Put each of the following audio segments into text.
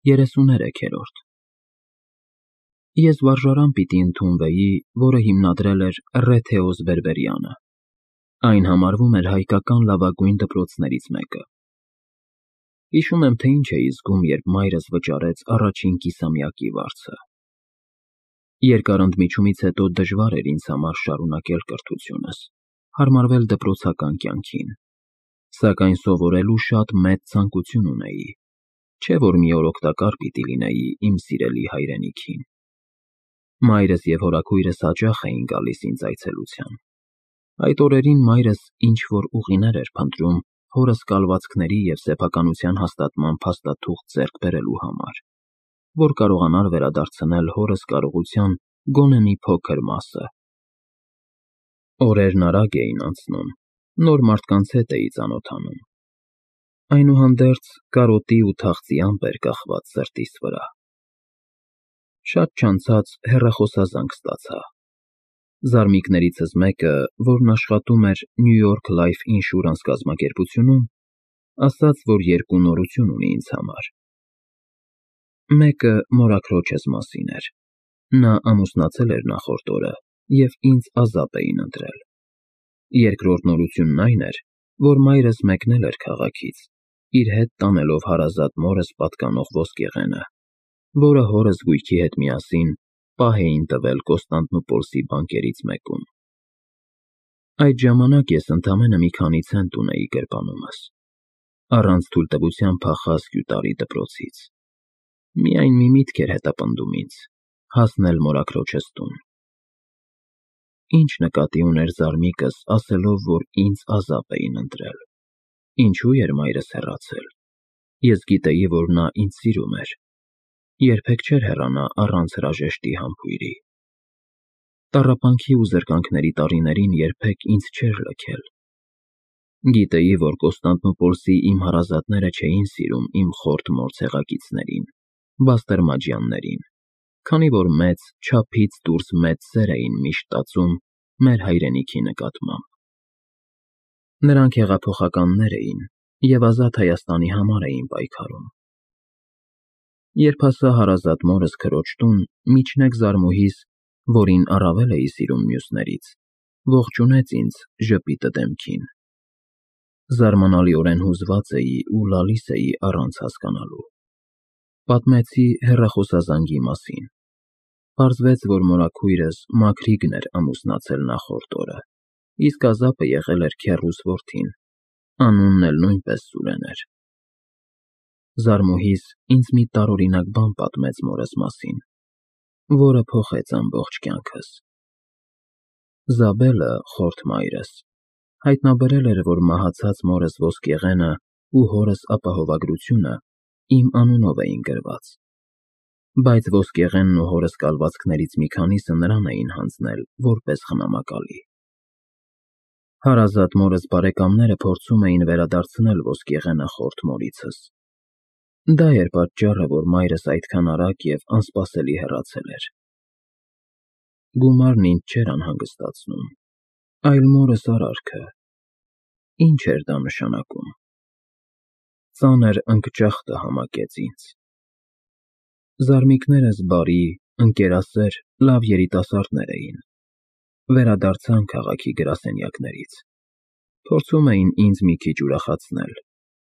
33-րդ Ես վարժարան պիտի ընդունվեի, որը հիմնադրել էր Ռեթեոս Բերբերյանը։ Այն համարվում էր հայկական լավագույն դպրոցներից մեկը։ Հիշում եմ, թե ինչ էի զգում, երբ մայրս վճարեց առաջին կիսամյակի վարձը։ Երկար ընդմիջումից հետո դժվար էր ինձ համար շարունակել կրթությունս, հարմարվել դպրոցական կյանքին, սակայն սովորելու շատ մեծ ցանկություն ունեի, չէ՞ որ մի օր օգտակար պիտի լինեի իմ սիրելի հայրենիքին։ Մայրս և հորաքույրս հաճախ էին գալիս ինձ այցելության։ Այդ օրերին մայրս ինչ-որ ուղիներ էր փնտրում հորս կալվածքների և սեփականության հաստատման փաստաթուղթ ձեռք բերելու համար, որ կարողանար վերադարձնել հորս կարողության գոնե մի փոքր մասը։ Օրերն արագ էին անցնում, նոր մարդկանց հետ էի ծանոթանում։ Այնուհանդերձ կարոտի ու թախծի ամպ էր կախված սրտիս վրա։ Շատ չանցած հեռախոսազանգ ստացա։ Զարմիկներիցս մեկը, որն աշխատում էր New York Life Insurance կազմակերպությունում, ասաց, որ երկու նորություն ունի ինձ համար։ Մեկը մորաքրոջս մասին էր։ Նա ամուսնացել էր նախորդ օրը և ինձ ազատ էին ընտրել։ Երկրորդ նորությունն այն էր, որ մայրս մեկնել էր քաղաքից, իր հետ տանելով հարազատ մորս պատկանող ոսկեղենը, որը հորս գույքի հետ միասին պահ էին տվել Կոստանդնուպոլսի բանկերից մեկում։ Այդ ժամանակ ես ընդամենը մի քանի ցենտ ունեի գրպանումս, առանց թույլտվության փախա Սկյուտարի դպրոցից։ Միայն մի միտք էր հետապնդում ինձ՝ հասնել մորաքրոջս տուն։ Ինչ նկատի ուներ զարմիկս, ասելով, որ ինձ ազատ էին ընտրել։ Ինչու էր մայրս հեռացել։ Ես գիտեի, որ նա ինձ սիրում էր։ Երբեք չէր հեռանա առանց հրաժեշտի համբույրի։ Տառապանքի ու զրկանքների տարիներին երբեք ինձ չէր լքել։ Գիտեի, որ Կոստանդնուպոլսի իմ հարազատները չէին սիրում իմ խորթ մոր ցեղակիցներին, բաստերմաջյաններին, քանի որ մեծ, չափից դուրս մեծ սեր էին միշտ տածում մեր հայրենիքի նկատմամբ։ Նրանք հեղափոխականներ էին և ազատ Հայաստանի համար էին պայքարում։ Երբ հասա հարազատ մորս քրոջ տուն, միջնեկ զարմուհիս, որին առավել էի սիրում մյուսներից, ողջունեց ինձ ժպիտը դեմքին։ Զարմանալիորեն հուզված էի ու լալիս էի առանց հասկանալու։ Պատմեցի հեռախոսազանգի մասին։ Պարզվեց, որ մորաքույրս Մաքրիգն էր ամուսնացել նախորդ օրը, իսկ ազապը եղել էր քեռուս որդին, անունն էլ նույնպես Սուրեն էր։ Զարմուհիս ինձ մի տարօրինակ բան պատմեց մորս մասին, որը փոխեց ամբողջ կյանքս։ Զաբելը, խորթ մայրս, հայտնաբերել էր, որ մահացած մորս ոսկեղենը ու հորս ապահովագրությունը իմ անունով էին գրված, բայց ոսկեղենն ու հորս կալվածքներից մի քանիսը նրան էին հանձնել որպես խնամակալի։ Հարազատ մորս բարեկամները փորձում էին վերադարձնել ոսկեղենը խորթ մորիցս։ Դա էր պատճառը, որ մայրս այդքան արագ և անսպասելի հեռացել էր։ Գումարն ինձ չէր անհանգստացնում, այլ մորս արարքը։ Ինչ էր դա նշանակում։ Ծանր ընկճախտը համակեց ինձ։ Զարմիկներս բարի, ընկերասեր, լավ երիտասարդներ էին։ Վերադարձան քաղաքի գրասենյակներից։ Փորձում էին ինձ մի քիչ ուրախացնել,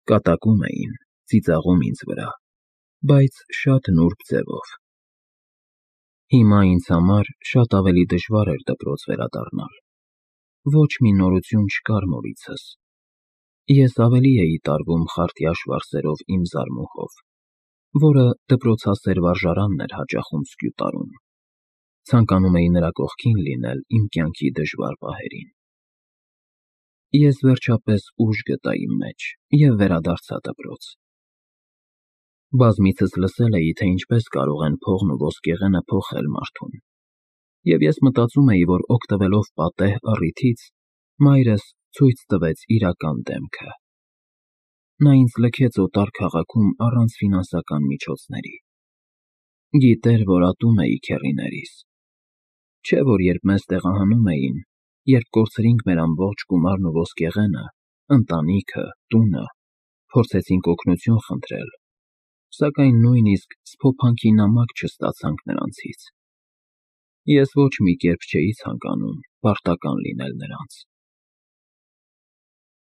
կատակում էին, ծիծաղում ինձ վրա, բայց շատ նուրբ ձևով։ Հիմա ինձ համար շատ ավելի դժվար էր դպրոց վերադառնալ։ Ոչ մի նորություն չկար մորիցս։ Ես ավելի էի տարվում խարտյաշ վարսերով իմ զարմուհով, որը դպրոցասեր վարժարանն էր հաճախում Սկյուտարում։ Ցանկանում էի նրա կողքին լինել իմ կյանքի դժվար պահերին։ Ես վերջապես ուժ գտա իմ մեջ և վերադարձա դպրոց։ Բազմիցս լսել էի, թե ինչպես կարող են փողն ու ոսկեղենը փոխել մարդուն, և ես մտածում էի, որ օգտվելով պատեհ առիթից, մայրս ցույց տվեց իրական դեմքը։ Նա ինձ լքեց օտար քաղաքում առանց ֆինանսական միջոցների։ Գիտեր, որ ատում էի քեռիներիս։ Չէ՞ որ երբ մեզ տեղահանում էին, երբ կորցրինք մեր ամբողջ գումարն ու ոսկեղենը, ընտանիքը, տունը, փորձեցինք օգնություն խնդրել, Սակայն նույնիսկ սփոփանքի նամակ չստացանք նրանցից։ Ես ոչ մի կերպ չէի ցանկանում պարտական լինել նրանց։